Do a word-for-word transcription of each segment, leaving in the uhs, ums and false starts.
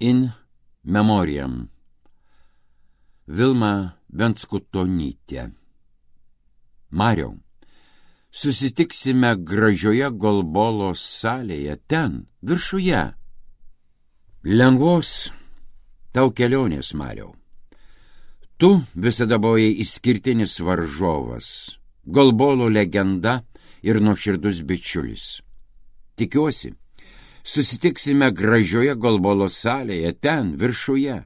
In memoriam. Vilma Venskutonytė. Mariau, susitiksime gražioje golbolos salėje, ten, viršuje. Lengvos tau kelionės, Mariau. Tu visada buvai išskirtinis varžovas, golbolo legenda ir nuoširdus bičiulis. Tikiuosi, susitiksime gražioje golbolo salėje, ten, viršuje.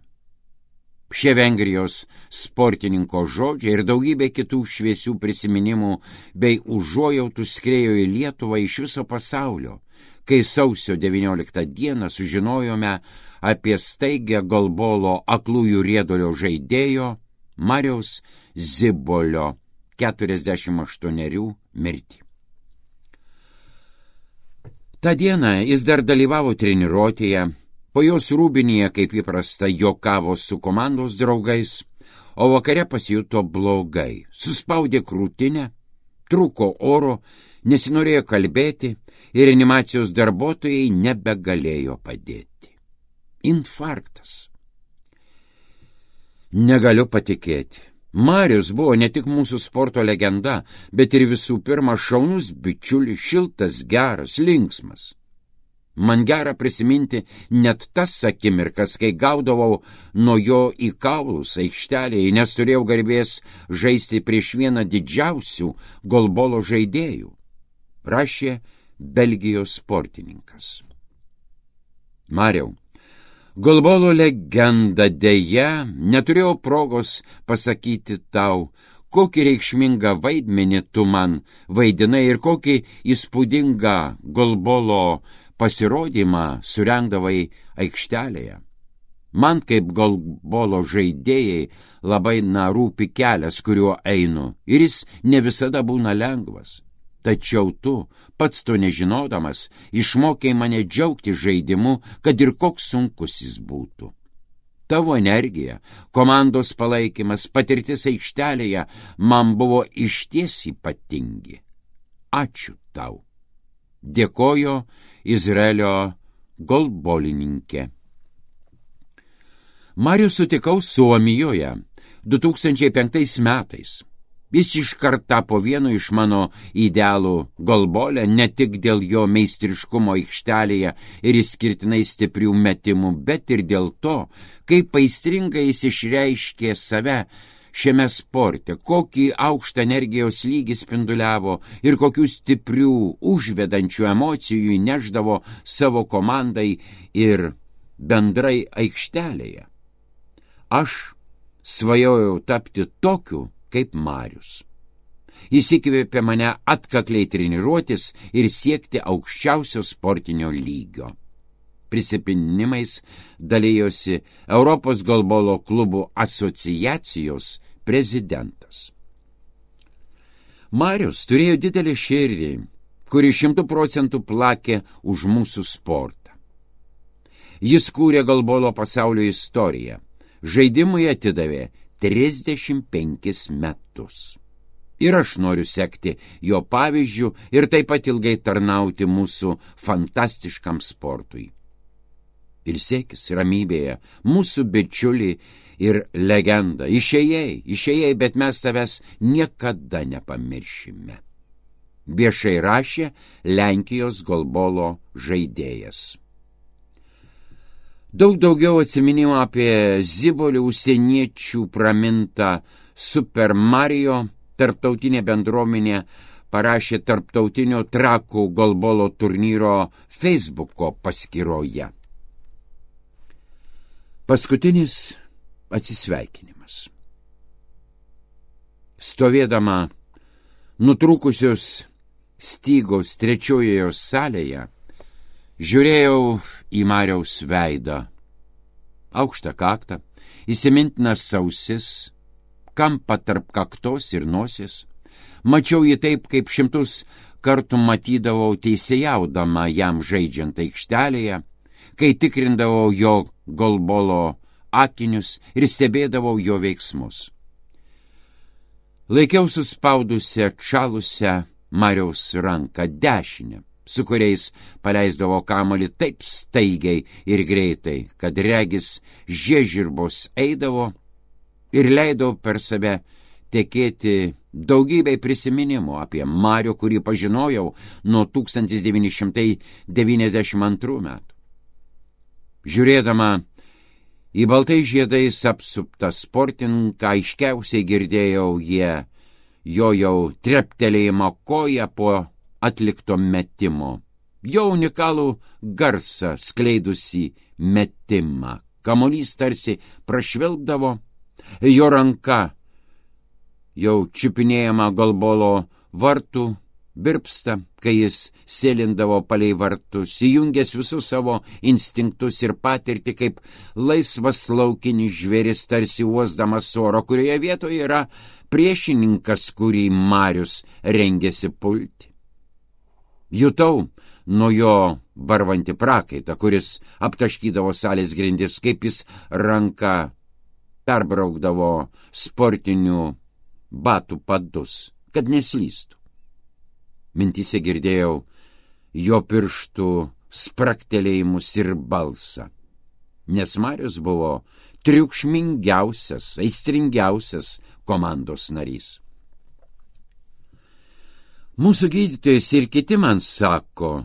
Šie Vengrijos sportininko žodžiai ir daugybė kitų šviesių prisiminimų bei užuojautų skriejo į Lietuvą iš viso pasaulio, kai sausio devynioliktą dieną sužinojome apie staigę golbolo aklųjų riedulio žaidėjo Mariaus Zibolio keturiasdešimt aštuonerių mirtį. Ta diena jis dar dalyvavo treniruotėje, po jos rūbinėje, kaip įprasta, juokavo su komandos draugais, o vakare pasijuto blogai, suspaudė krūtinę, trūko oro, nesinorėjo kalbėti ir reanimacijos darbuotojai nebegalėjo padėti. Infarktas. Negaliu patikėti. Marius buvo ne tik mūsų sporto legenda, bet ir visų pirma šaunus bičiulis, šiltas, geras, linksmas. Man gera prisiminti net tas akimirkas, kai gaudavau nuo jo į kaulus aikštelėje, nes turėjau garbės žaisti prieš vieną didžiausių golbolo žaidėjų, rašė Belgijos sportininkas. Mariau, golbolo legenda deja neturėjau progos pasakyti tau, kokį reikšmingą vaidmenį tu man vaidinai ir kokį įspūdingą golbolo pasirodymą surengdavai aikštelėje. Man kaip golbolo žaidėjai labai na rūpi kelias, kuriuo einu, ir jis ne visada būna lengvas. Tačiau tu, pats to nežinodamas, išmokei mane džiaugti žaidimu, kad ir koks sunkus jis būtų. Tavo energija, komandos palaikymas, patirtis aikštelėje man buvo išties ypatingi. Ačiū tau. Dėkojo Izraelio golbolininkė. Marių sutikau Suomijoje du tūkstančiai penktais metais. Jis iškart tapo vienu iš mano idealų golbole, ne tik dėl jo meistriškumo aikštelėje ir išskirtinai stiprių metimų, bet ir dėl to, kaip aistringai jis išreiškė save šiame sporte, kokį aukštą energijos lygį spinduliavo ir kokių stiprių, užvedančių emocijų įneždavo savo komandai ir bendrai aikštelėje. Aš svajojau tapti tokiu kaip Marius. Jis įkvėpė mane atkakliai treniruotis ir siekti aukščiausio sportinio lygio. Prisiminimais dalijosi Europos golbolo klubų asociacijos prezidentas. Marius turėjo didelį širdį, kuri šimtų procentų plakė už mūsų sportą. Jis kūrė golbolo pasaulio istoriją. Žaidimui atidavė trisdešimt penkis metus. Ir aš noriu sekti jo pavyzdžių ir taip pat ilgai tarnauti mūsų fantastiškam sportui. Ilsėkis ramybėje, mūsų bičiulį ir legenda. Išėjai, išėjai, bet mes tavęs niekada nepamiršime. Viešai rašė Lenkijos golbolo žaidėjas. Daug daugiau atsiminimų apie Zibolį užsieniečių pramintą Super Mario tarptautinė bendruomenė parašė tarptautinio Trakų golbolo turnyro Facebooko paskyroje. Paskutinis atsisveikinimas. Stovėdama nutrūkusios stygos trečiojoje salėje, žiūrėjau į Mariaus veidą. Aukštą kaktą, įsimintinas ausis, kampą tarp kaktos ir nosies. Mačiau jį taip, kaip šimtus kartų matydavau teisėjaudama jam žaidžiant aikštelėje, kai tikrindavau jo golbolo akinius ir stebėdavau jo veiksmus. Laikiau suspaudusią atšalusią Mariaus ranką dešinę, su kuriais paleisdavo kamuolį taip staigiai ir greitai, kad regis žiežirbos eidavo ir leido per save tekėti daugybei prisiminimų apie Marių, kurį pažinojau nuo tūkstantis devyni šimtai devyniasdešimt antrų metų. Žiūrėdama į baltai žiedais apsuptą sportininką, aiškiausiai girdėjau jie jo jau treptelėjimą koją po atlikto metimo, jo unikalų garsą skleidusį metimą. Kamuolys tarsi prašvilpdavo, jo ranka jau čiupinėjama golbolo vartų birpsta, kai jis sėlindavo palei vartus, įjungęs visus savo instinktus ir patirtį kaip laisvas laukinis žvėris, tarsi uosdamas oro, kurioje vietoje yra priešininkas, kurį Marius rengėsi pulti. Jutau nuo jo varvantį prakaitą, kuris aptaškydavo salės grindis, kaip jis ranka perbraukdavo sportinių batų padus, kad neslystų. Mintyse girdėjau jo pirštų spraktelėjimus ir balsą, nes Marius buvo triukšmingiausias, aistringiausias komandos narys. Mūsų gydytojas ir kiti man sako,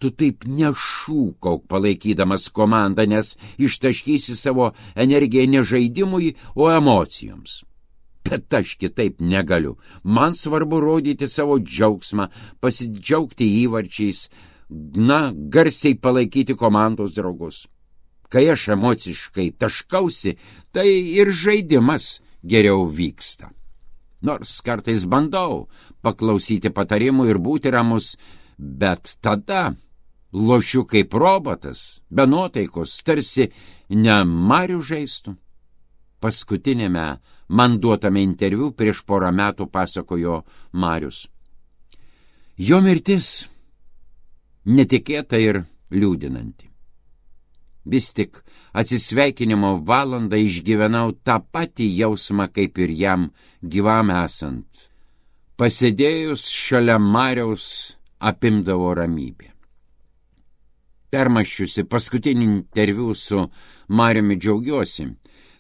tu taip nešūkauk palaikydamas komandą, nes ištaškysi savo energiją ne žaidimui, o emocijoms. Bet aš kitaip negaliu. Man svarbu rodyti savo džiaugsmą, pasidžiaugti įvarčiais, na, garsiai palaikyti komandos draugus. Kai aš emociškai taškausi, tai ir žaidimas geriau vyksta. Nors kartais bandau paklausyti patarimų ir būti ramus, bet tada lošiu kaip robotas, be nuotaikos, tarsi ne Marių žaistų. Paskutinėme man duotame interviu prieš porą metų pasakojo Marius. Jo mirtis netikėta ir liūdinanti. Vis tik atsisveikinimo valandą išgyvenau tą patį jausmą, kaip ir jam gyvam esant. Pasėdėjus šalia Mariaus apimdavo ramybė. Permaščiusi paskutinį interviu su Mariumi džiaugiuosi,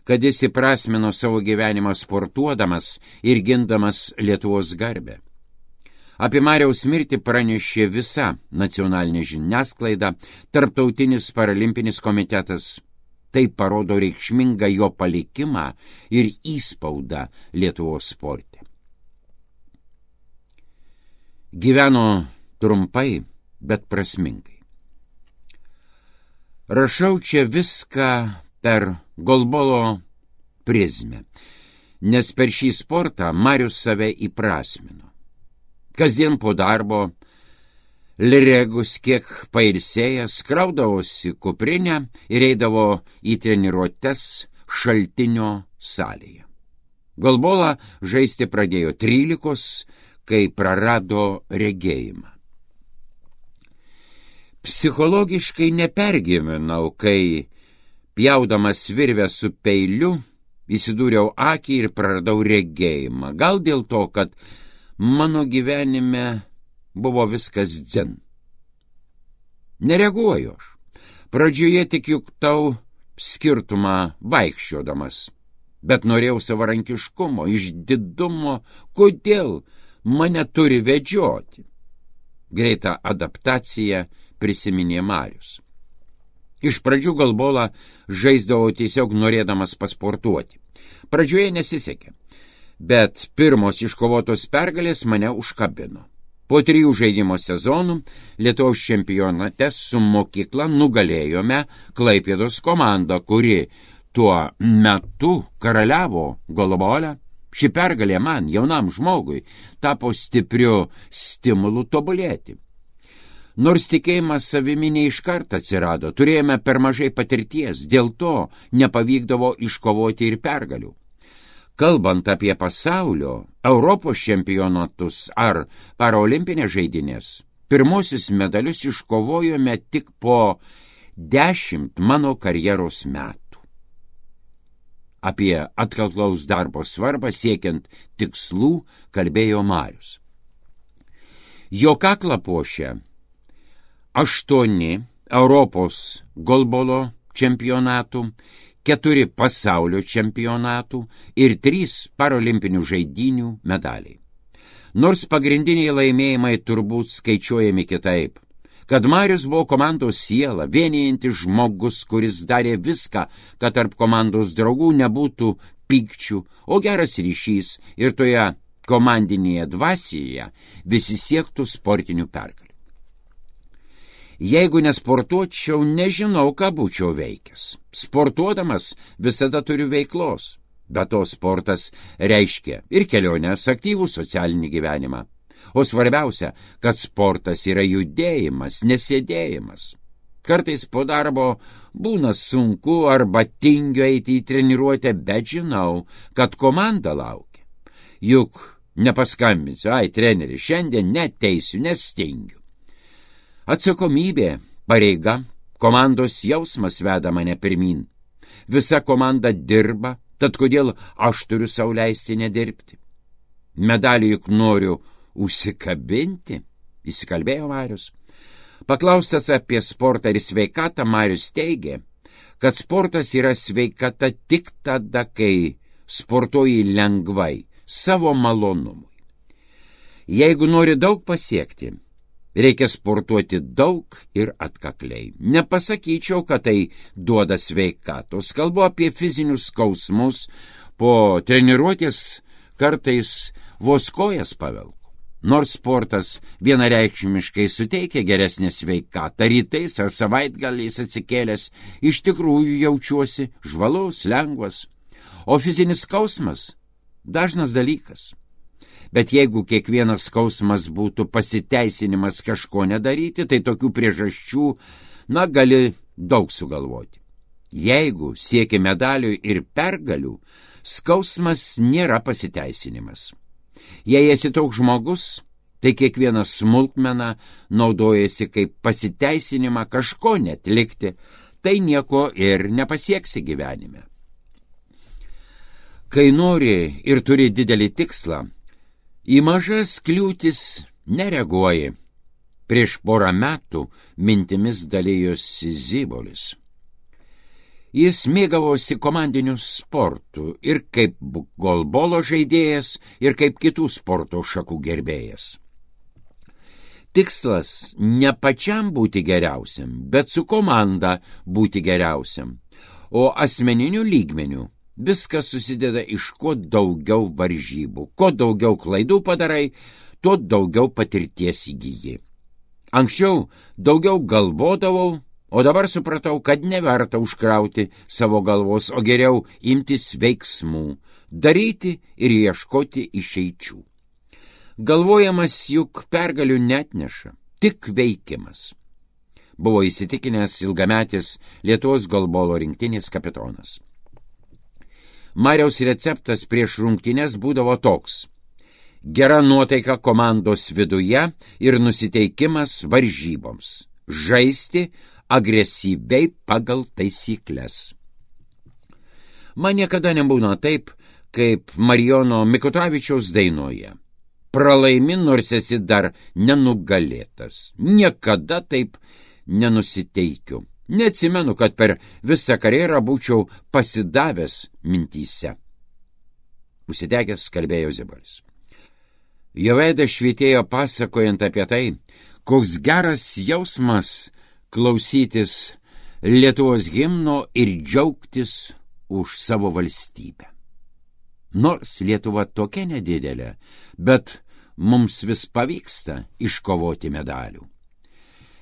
kad jis įprasmino savo gyvenimą sportuodamas ir gindamas Lietuvos garbę. Apie Mariaus mirtį pranešė visa nacionalinė žiniasklaida, Tarptautinis paralimpinis komitetas. Tai parodo reikšmingą jo palikimą ir įspaudą Lietuvos sporte. Gyveno trumpai, bet prasmingai. Rašau čia viską per golbolo prizmę, nes per šį sportą Marius save įprasmino. Kasdien po darbo, liregus kiek pailsėjęs, kraudavosi kuprinę ir eidavo į treniruotes Šaltinio salėje. Golbolą žaisti pradėjo trylikos, kai prarado regėjimą. Psichologiškai nepergyvenau, kai pjaudamas virvę su peiliu įsidūriau akį ir praradau regėjimą. Gal dėl to, kad mano gyvenime buvo viskas dzin. Nereaguoju aš. Pradžioje tik juktau skirtumą vaikščiodamas, bet norėjau savarankiškumo, išdidumo, kodėl mane turi vedžioti. Greitą adaptaciją prisiminė Marius. Iš pradžių golbolą žaisdavau tiesiog norėdamas pasportuoti. Pradžioje nesisekė, bet pirmos iškovotos pergalės mane užkabino. Po trijų žaidimo sezonų Lietuvos čempionate su mokykla nugalėjome Klaipėdos komandą, kuri tuo metu karaliavo golbole. Ši pergalė man, jaunam žmogui, tapo stipriu stimulu tobulėti. Nors tikėjimas savimi ne iškart atsirado, turėjome per mažai patirties, dėl to nepavykdavo iškovoti ir pergalių. Kalbant apie pasaulio, Europos čempionatus ar paraolimpinės žaidynės, pirmosius medalius iškovojome tik po dešimt mano karjeros metų. Apie atkaklaus darbo svarbą siekiant tikslų kalbėjo Marius. Jo kaklą puošia aštuoni Europos golbolo čempionatų, keturi pasaulio čempionatų ir trys parolimpinių žaidynių medaliai. Nors pagrindiniai laimėjimai turbūt skaičiuojami kitaip, kad Marius buvo komandos siela, vienijantis žmogus, kuris darė viską, kad tarp komandos draugų nebūtų pykčių, o geras ryšys ir toje komandinėje dvasioje visi siektų sportinių pergalių. Jeigu nesportuočiau, nežinau, ką būčiau veikęs. Sportuodamas visada turiu veiklos, bet to sportas reiškia ir keliones, aktyvų socialinį gyvenimą. O svarbiausia, kad sportas yra judėjimas, nesėdėjimas. Kartais po darbo būna sunku arba tingiu eiti į treniruotę, bet žinau, kad komanda laukia. Juk nepaskambinsiu, ai, treneri, šiandien neteisiu, nestingiu. Atsakomybė, pareiga, komandos jausmas veda mane pirmin. Visa komanda dirba, tad kodėl aš turiu sau leisti nedirbti? Medalį juk noriu užsikabinti, įsikalbėjo Marius. Paklaustas apie sportą ir sveikatą, Marius teigė, kad sportas yra sveikata tik tada, kai sportuoji lengvai, savo malonumui. Jeigu nori daug pasiekti, reikia sportuoti daug ir atkakliai. Nepasakyčiau, kad tai duoda sveikatos. Kalbu apie fizinius skausmus, po treniruotės kartais vos kojas pavelku. Nors sportas vienareikšmiškai suteikia geresnę sveikatą, rytais ar savaitgaliais atsikėlęs, iš tikrųjų jaučiuosi žvalus, lengvas. O fizinis skausmas dažnas dalykas. Bet jeigu kiekvienas skausmas būtų pasiteisinimas kažko nedaryti, tai tokių priežasčių, na, gali daug sugalvoti. Jeigu sieki medalių ir pergalių, skausmas nėra pasiteisinimas. Jei esi toks žmogus, tai kiekviena smulkmena naudojasi kaip pasiteisinimą kažko netlikti, tai nieko ir nepasieksi gyvenime. Kai nori ir turi didelį tikslą, į mažas kliūtis nereaguoji. Prieš porą metų mintimis dalyjosi Zybolis. Jis mėgavosi komandiniu sportu ir kaip golbolo žaidėjas, ir kaip kitų sporto šakų gerbėjas. Tikslas ne pačiam būti geriausiam, bet su komanda būti geriausiam, o asmeniniu lygmeniu viskas susideda iš kuo daugiau varžybų. Kuo daugiau klaidų padarai, tuo daugiau patirties įgyji. Anksčiau daugiau galvodavau, o dabar supratau, kad neverta užkrauti savo galvos, o geriau imtis veiksmų, daryti ir ieškoti išeičių. Galvojamas juk pergalių netneša, tik veikimas. Buvo įsitikinęs ilgametis Lietuvos golbolo rinktinės kapitonas. Mariaus receptas prieš rungtynes būdavo toks: gera nuotaika komandos viduje ir nusiteikimas varžyboms, žaisti agresyviai pagal taisyklės. Man niekada nebūna taip, kaip Marijono Mikutavičiaus dainoje. Pralaimi, nors esi dar nenugalėtas. Niekada taip nenusiteikiu. Neatsimenu, kad per visą karjerą būčiau pasidavęs mintyse. Užsidegęs kalbėjo Zybolis. Jo veidas švytėjo pasakojant apie tai, koks geras jausmas klausytis Lietuvos himno ir džiaugtis už savo valstybę. Nors Lietuva tokia nedidelė, bet mums vis pavyksta iškovoti medalių.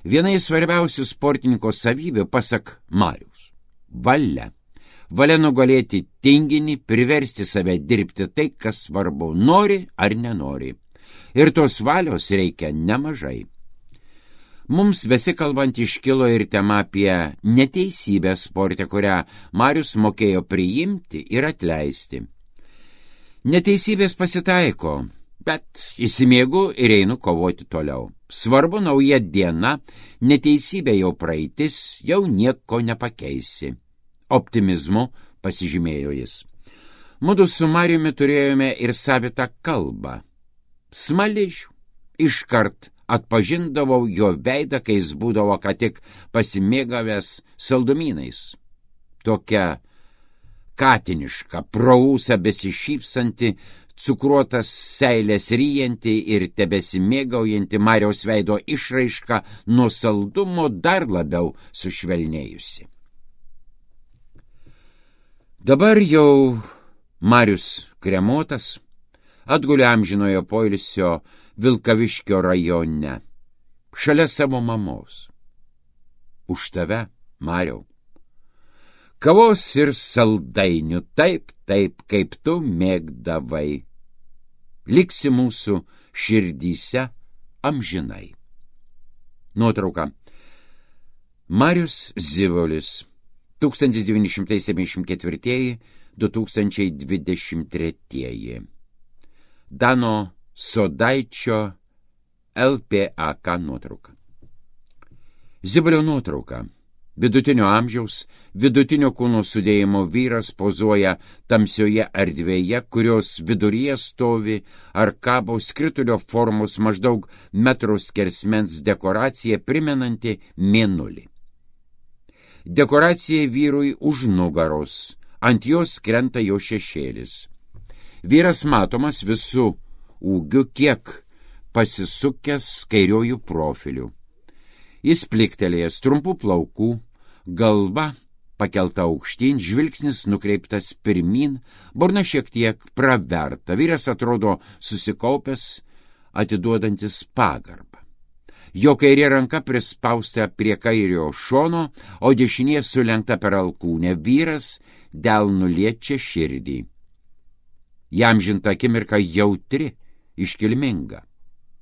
Viena iš svarbiausių sportininko savybių, pasak Mariaus, valia. Valia nugalėti tinginį, priversti save dirbti tai, kas svarbu, nori ar nenori. Ir tos valios reikia nemažai. Mums besikalbant iškilo ir tema apie neteisybę sporte, kurią Marius mokėjo priimti ir atleisti. Neteisybės pasitaiko, bet įsimiegu ir einu kovoti toliau. Svarbu nauja diena, neteisybė jau praeitis, jau nieko nepakeisi. Optimizmu pasižymėjo jis. Mudu su Mariumi turėjome ir savitą kalbą. Smaližių iškart atpažindavau jo veidą, kai jis būdavo ką tik pasimėgavęs saldumynais. Tokia katiniška, praūsa besišypsanti, cukruotas seilės ryjanti ir tebesimėgaujanti Mariaus veido išraiška nuo saldumo dar labiau sušvelnėjusi. Dabar jau Marius kremuotas atgulė amžinojo poilsio Vilkaviškio rajone, šalia savo mamos. Už tave, Mariau, kavos ir saldainių, taip, taip, kaip tu mėgdavai, liksi mūsų širdyse amžinai. Nuotrauka. Marius Zivolis, tūkstantis devyni šimtai septyniasdešimt ketvirti - du tūkstančiai dvidešimt treči. Dano Sodaičio L P A K nuotrauka. Zivolio nuotrauka. Vidutinio amžiaus, vidutinio kūno sudėjimo vyras pozuoja tamsioje erdvėje, kurios viduryje stovi ar kabo skritulio formos maždaug metro skersmens dekoracija primenanti mėnulį. Dekoracija vyrui už nugaros, ant jos krenta jo šešėlis. Vyras matomas visų ūgių, kiek pasisukęs kairiojų profilių. Jis pliktelėjęs, trumpų plaukų, galva pakelta aukštyn, žvilgsnis nukreiptas pirmin, burna šiek tiek praverta, vyras atrodo susikaupęs, atiduodantis pagarbą. Jo kairė ranka prispausta prie kairio šono, o dešinė sulenkta per alkūnę, vyras delnu liečia širdį. Įamžinta akimirka jautri, iškilminga.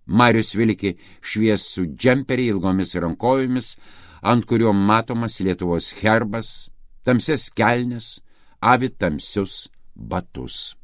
Marius vilki šviesų džemperį ilgomis rankojomis, ant kurio matomas Lietuvos herbas, tamsias kelnes, avi tamsius batus.